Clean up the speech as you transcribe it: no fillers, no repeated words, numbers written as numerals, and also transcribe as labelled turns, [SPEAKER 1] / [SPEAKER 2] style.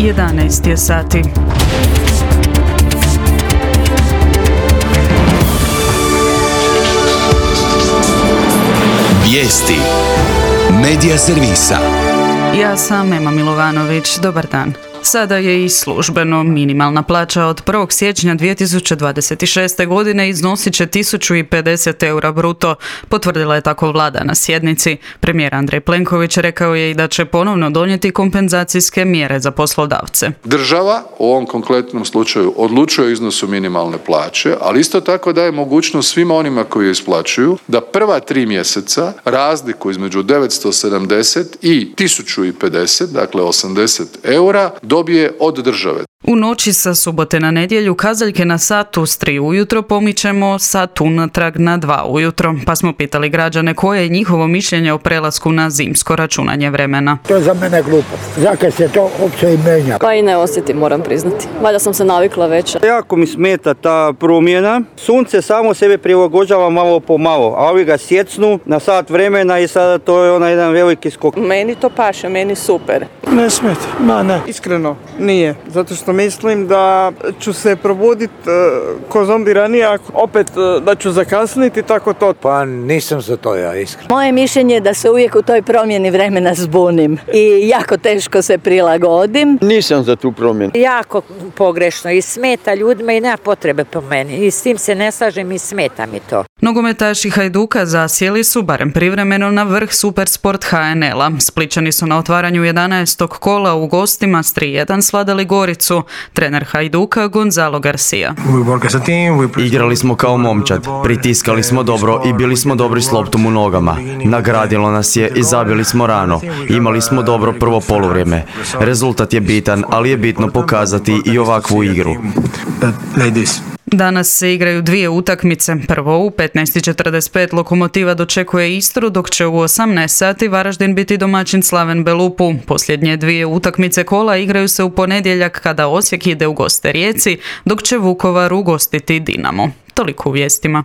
[SPEAKER 1] 11 je sati.
[SPEAKER 2] Vijesti Medija servisa.
[SPEAKER 1] Ja sam Ema Milovanović, dobar dan. Sada je i službeno minimalna plaća od 1. siječnja 2026. godine iznosit će 1050 eura bruto, potvrdila je tako vlada na sjednici. Premijer Andrej Plenković rekao je i da će ponovno donijeti kompenzacijske mjere za poslodavce.
[SPEAKER 3] Država u ovom konkretnom slučaju odlučuje o iznosu minimalne plaće, ali isto tako daje mogućnost svima onima koji je isplaćuju da prva 3 mjeseca razliku između 970 i 1050, dakle 80 eura, dobije od države.
[SPEAKER 1] U noći sa subote na nedjelju kazaljke na satu s 3 ujutro pomičemo sat unatrag na 2 ujutro, pa smo pitali građane koje je njihovo mišljenje o prelasku na zimsko računanje vremena.
[SPEAKER 4] To je za mene glupost. Zakaj se to uopće i menja?
[SPEAKER 5] Pa i ne osjetim, moram priznati. Valjda sam se navikla već.
[SPEAKER 6] Jako mi smeta ta promjena. Sunce samo sebe prilagođava malo po malo, a ovi ga sjecnu na sat vremena i sada to je onaj jedan veliki skok.
[SPEAKER 7] Meni to paše, meni super.
[SPEAKER 8] Ne smeta, ne. Iskreno, nije. Zato što mislim da ću se probuditi ko zombi ranije, ako opet da ću zakasniti, tako to.
[SPEAKER 4] Pa nisam za to ja, iskreno.
[SPEAKER 9] Moje mišljenje je da se uvijek u toj promjeni vremena zbunim i jako teško se prilagodim.
[SPEAKER 6] Nisam za tu promjenu.
[SPEAKER 10] Jako pogrešno i smeta ljudima i nema potrebe po meni. I s tim se ne slažem i smeta mi to.
[SPEAKER 1] Nogometaši Hajduka zasjeli su, barem privremeno, na vrh Supersport HNL-a. Splićani su na otvaranju 11. kola u gostima s 3:1 svladali Goricu. Trener Hajduka Gonzalo Garcia.
[SPEAKER 11] Igrali smo kao momčad, pritiskali smo dobro i bili smo dobri s loptom u nogama. Nagradilo nas je i zabili smo rano. Imali smo dobro prvo poluvrijeme. Rezultat je bitan, ali je bitno pokazati i ovakvu igru.
[SPEAKER 1] Danas se igraju 2 utakmice. Prvo u 15:45 Lokomotiva dočekuje Istru, dok će u 18 sati Varaždin biti domaćin Slaven Belupu. Posljednje 2 utakmice kola igraju se u ponedjeljak kada Osijek ide u goste Rijeci, dok će Vukovar ugostiti Dinamo. Toliko u vijestima.